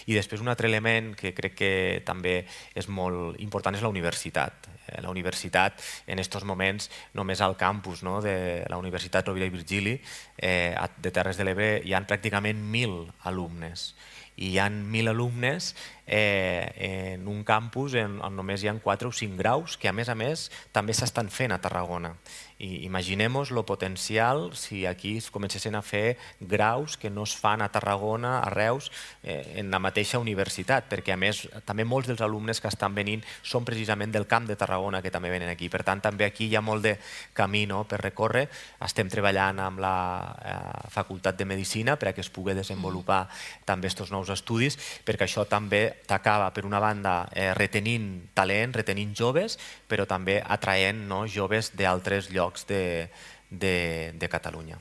I després un altre element que crec que també és molt important és la universitat. La universitat, en aquests moments, només al campus de la Universitat Rovira i Virgili de Terres de l'Ebre hi ha pràcticament 1.000 alumnes. I hi ha 1.000 alumnes en un campus on només hi ha 4 o 5 graus que a més també s'estan fent a Tarragona. I imaginem-nos el potencial si aquí es comencessin a fer graus que no es fan a Tarragona, a Reus, en la mateixa universitat, perquè a més també molts dels alumnes que estan venint són precisament del Camp de Tarragona que també venen aquí. Per tant, també aquí hi ha molt de camí per recórrer. Estem treballant amb la Facultat de Medicina perquè es pugui desenvolupar també aquests nous estudis, perquè això també t'acaba, per una banda, retenint talent, retenint joves, però també atraient joves d'altres llocs de Catalunya.